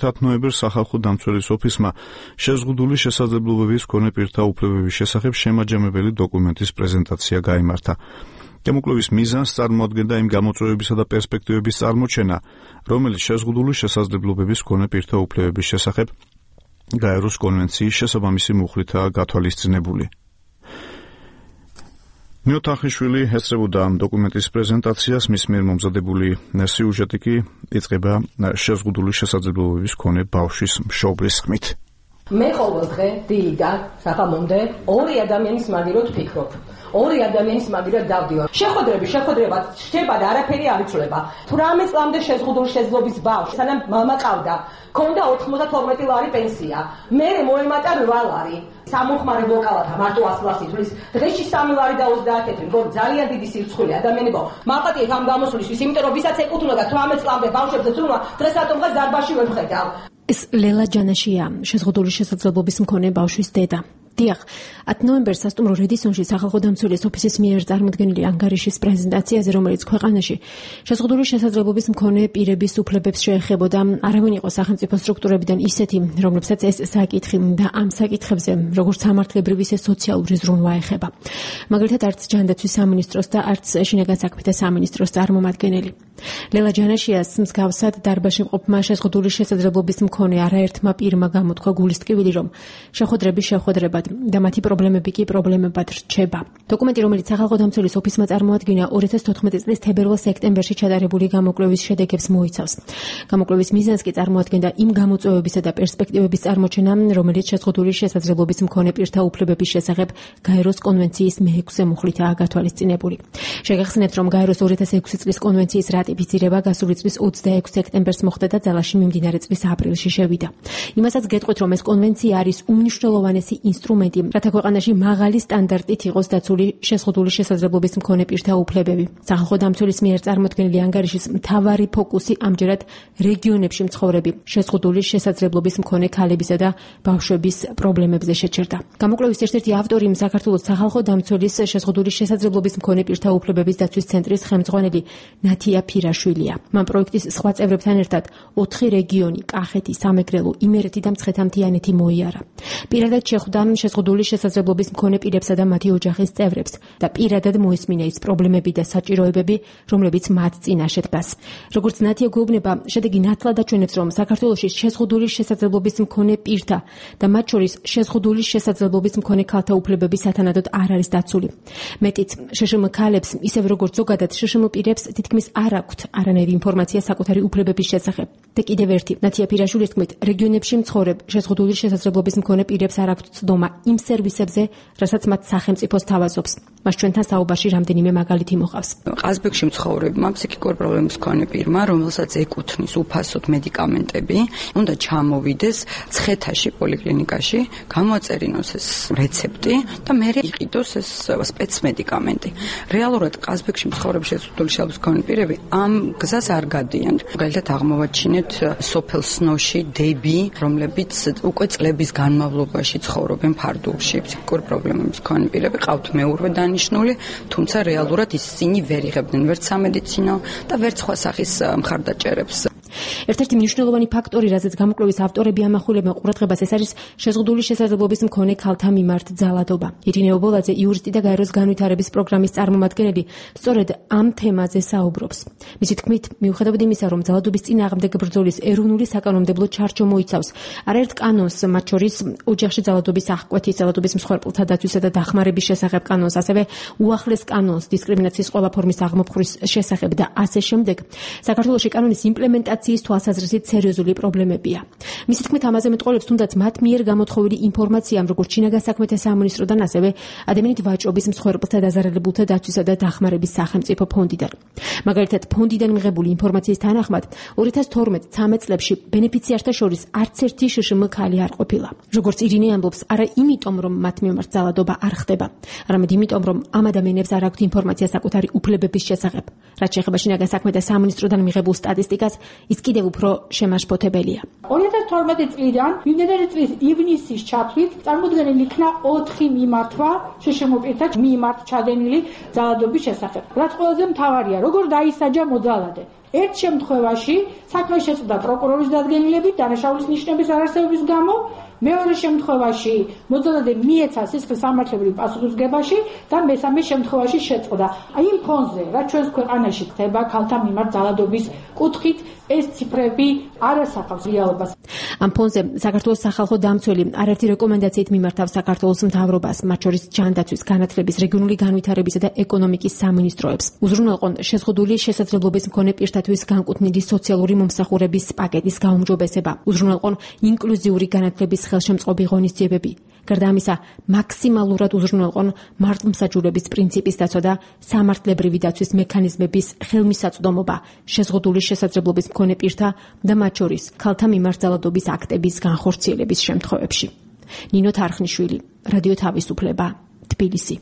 10 ნოემბერს სახალხო დამცველის ოფისმა შეზღუდული შესაძლებლობების მქონე პირთა უფლებების შესახებ შემაჯამებელი დოკუმენტის პრეზენტაცია გაიმართა. გამოკვლევის მიზანს წარმოადგენდა იმ გამოწვევებისა და პერსპექტივების წარმოჩენა, რომელიც შეზღუდული შესაძლებლობების მქონე პირთა უფლებების შესახებ გაეროს კონვენციის შესაბამისი მუხლითაა გათვალისწინებული. მიოთახიშვილი ესწრებოდა ამ დოკუმენტის პრეზენტაციას, მის მიერ მომზადებული სიუჟეტი კი იწყება შეზღუდული შესაძლებლობების მქონე ბავშვის მშობლის ხმით. მე ყოველ დღე დილიდან საღამომდე ორი ადამიანის მაგიროთ ვფიქრობ. ორი ადამიანის მაგირად დავდივარ. შეხვედრება შება და არაფერი არ იცვლება. 18 წლამდე შეზღუდული შესაძლებლობის ბავშვი, სანამ მამა ყავდა, ქონდა 92 ლარი პენსია. მე მოემატა 8 ლარი. სამომხმარებლო კალათა მარტო 100 ლარს ითვლის. დღეში 3 ლარი და 30 ლარი. ძალიან დიდი სირცხვილია ადამიანებო. მალყატიეთ ამ გამოსვლისთვის, იმიტომ რომ ვისაც ეკუთვნოდა 18 წლამდე ბავშვებზე ცნობა, დღეს რატომღაც დარბაზში ვერ ვხედავ. ეს ლელა ჯანაშია, შეზღუდული შესაძლებლობის მქონე ბავშვის დედა. დიახ, 10 ნოემბერს სასტუმრო რედისონში სახალხო დამცველის ოფისის მიერ წარმოდგენილი ანგარიშის პრეზენტაციაზე, რომელიც ქვეყანაში შეზღუდული შესაძლებლობის მქონე პირების უფლებებს შეეხებოდა, არავინ იყო სახელმწიფო სტრუქტურებიდან ისეთი, რომლებსაც ეს საკითხი და ამ საკითხებზე, როგორც სამართლებრივი, ისე სოციალური ზრუნვა ეხება. მაგალითად, არც ჯანდაცვის სამინისტროს და არც შინაგან საქმეთა სამინისტროს წარმომადგენელი. ლელა ჯანაშიას მსგავსად დარბაზში მყოფმა შეზღუდული შესაძლებლობის მქონე არაერთმა პირმა გამოთქვა გულისტკივილი, რომ შეხვედრებად და მათი პრობლემები კი პრობლემებად რჩება. დოკუმენტი, რომელიც სახალხო დამცველის ოფისმა წარმოადგინა 2014 წლის თებერვალ-სექტემბერში ჩატარებული გამოკვლევის შედეგებს მოიცავს. გამოკვლევის მიზანს კი წარმოადგენდა იმ გამოწვევებისა და პერსპექტივების წარმოჩენა, რომელიც შეზღუდული შესაძლებლობის მქონე პირთა უფლებების შესახებ გაეროს კონვენციის მე-6 მუხლითაა გათვალისწინებული. შეგახსენებთ, რომ გაეროს 2006 წლის კონვენციის რატიფიცირება გასული წლის 26 სექტემბერს მოხდა და ძალაში მიმდინარე წლის აპრილში შევიდა. იმასაც გეტყვით, რომ ეს კონვენცია არის უმნიშვნელოვანესი ინსტრუმენტი, რათა ქვეყანაში მაღალი სტანდარტით იყოს დაცული შეზღუდული შესაძლებლობის მქონე პირთა უფლებები. სახალხო დამცველის მიერ წარმოდგენილი ანგარიშის მთავარი ფოკუსი ამჯერად რეგიონებში მცხოვრები შეზღუდული შესაძლებლობის მქონე ქალებისა და ბავშვების პრობლემებზე შეჩერდა. გამოკვლევის ერთ-ერთი ავტორი საქართველოს სახალხო დამცველის შეზღუდული შესაძლებლობის მქონე პირთა უფლებების დაცვის ცენტრის ხელმძღვანელი ნათია ფირაშვილია. მან პროექტის სხვა წევრებთან ერთად 4 რეგიონი, კახეთი, სამეგრელო, იმერეთი და მცხეთა-მთიანეთი მოიარა. პირადად შეხვდა შეზღუდული შესაძლებლობის მქონე პირებსა და მათი ოჯახის წევრებს და პირადად მოისმინა ის პრობლემები და საჭიროებები, რომლებიც მათ წინაშე დგას. როგორც ნათია გვეუბნება, შედეგი ნათლად აჩვენებს, რომ საქართველოში შეზღუდული შესაძლებლობის მქონე პირთა და მათ შორის შეზღუდული შესაძლებლობის მქონე ქალთა უფლებები სათანადოდ არ არის დაცული. მეტიც, შშმ ქალებს, ისევ როგორც ზოგადად შშმ პირებს თითქმის არ აქვთ არანაირი ინფორმაცია საკუთარი უფლებების შესახებ. და კიდევ ერთი, ნათია ფირაშვილის თქმით, რეგიონებში მცხოვრებ შეზღუდული შესაძლებლობის მქონე პირებს არ აქვთ ცდომა იმ სერვისებზე, რასაც მათ სახელმწიფო სთავაზობს. მას ჩვენთან საუბარში რამდენიმე მაგალითი მოყავს. ყაზბეგში მცხოვრებმა ფსიქიკური პრობლემის მქონე პირმა, რომელსაც ეკუთვნის უფასოდ მედიკამენტები, უნდა ჩამოვიდეს მცხეთაში პოლიკლინიკაში, გამოაწერინოს ეს რეცეპტი და მერე იყიდოს ეს სპეცმედიკამენტი. რეალურად ყაზბეგში მცხოვრებ შეზღუდული შესაძლებლობის მქონე პირები ამ გზას არ გადიან. მაგალითად აღმოვაჩინეთ სოფელ სნოში დები, რომლებიც უკვე წლების განმავლობაში ცხოვრობენ ფარდულში. ფსიქიკური პრობლემების მქონე პირები ყავთ მეურვე დანიშნული, თუმცა რეალურად ისინი ვერ იღებდნენ ვერც სამედიცინო და ვერც სხვა სახის მხარდაჭერებს. ერთ-ერთი მნიშვნელოვანი ფაქტორი, რაზეც გამოკვლევის ავტორები ამახვილებენ ყურადღებას, ეს არის შეზღუდული შესაძლებლობის მქონე ქალთა მიმართ ძალადობა. ირინე ობოლაძე, იურისტი და გაეროს განვითარების პროგრამის წარმომადგენელი, სწორედ ამ თემაზე საუბრობს. მისი თქმით, მიუხედავად იმისა, რომ ძალადობის წინააღმდეგ ბრძოლის ეროვნული საკანონმდებლო ჩარჩო მოიცავს არაერთ კანონს, მათ შორის ოჯახში ძალადობის აღკვეთის, ძალადობის მსხვერპლთა დაცვისა და დახმარების შესახებ კანონს, ასევე უახლეს კანონს დისკრიმინაციის ყველა ფორმის აღმოფხვის შესახებ და ასე შემდეგ, საქართველოში კანონის იმპლემენტაციის თვალსაზრისით სერიოზული პრობლემებია. მისი თქმით, ამაზე მეტყოლებს თუნდაც მათ მიერ გამოთხოვილი ინფორმაცია, როგორც შინაგან საქმეთა სამინისტროდან, ასევე ადამიანით ვაჭრობის მსხვერპლთა დაზარალებულთა დაცვისა და დახმარების სახელმწიფო ფონდიდან. მაგალითად, ფონდიდან მიღებული ინფორმაციის თანახმად, 2012-13 წლებში ბენეფიციართა შორის არც ერთი შშმ ქალი არ ყოფილა. როგორც ირინე ამბობს, არა იმიტომ, რომ მათ მიმართ ძალადობა არ ხდება, არამედ იმიტომ, რომ ამ ადამიანებს არ აქვთ ინფორმაცია საკუთარი უფლებების შესახებ. რაც შეეხება შინაგან საქმეთა სამინისტროდან მიღებულ სტატისტიკას, ის კიდევ უფრო შემაშფოთებელია. 2012 წლიდან მიმდინარე წლის ივნისის ჩათვლით წარმოდგენილი იქნა 4 მიმართვა შშმ პირთა მიმართ ჩადენილი ძალადობის შესახებ. რაც ყველაზე მთავარია, როგორ დაისაჯა მოძალადე. ერთ შემთხვევაში საქმე შეწყდა პროკურორის დადგენილებით დანაშაულის ნიშნების არარსებობის გამო, მეორე შემთხვევაში მოწოდებული მიეცა სისხლის სამართლებრივ პასუხისმგებაში და მესამე შემთხვევაში შეწყდა. იმ ფონზე, რაც ჩვენს ქვეყანაში ხდება ქალთა მიმართ ძალადობის კუთხით, ეს ციფრები არ ასახავს რეალობას. ამ ფონზე საქართველოს სახალხო დამცველი არაერთი რეკომენდაციით მიმართავს საქართველოს მთავრობას, მათ შორის ჯანდაცვის, განათლების, რეგიონული განვითარებისა და ეკონომიკის სამინისტროებს. უზრუნველყონ შეზღუდული შესაძლებლობის მქონე პირთათვის განკუთვნილი სოციალური მომსახურების პაკეტის გაუმჯობესება. უზრუნველყონ ინკლუზიური განათლების ხელშემწყობი ღონისძიებები. გარდა ამისა, მაქსიმალურად უზრუნველყონ მართლმსაჯულების პრინციპის დაცვა და სამართლებრივი დაცვის მექანიზმების ხელმისაწვდომობა შეზღუდული შესაძლებლობის მქონე პირთა და მათ შორის ქალთა მიმართ ძალადობის აქტების განხორციელების შემთხვევებში. ნინო თარხნიშვილი, რადიო თავისუფლება, თბილისი.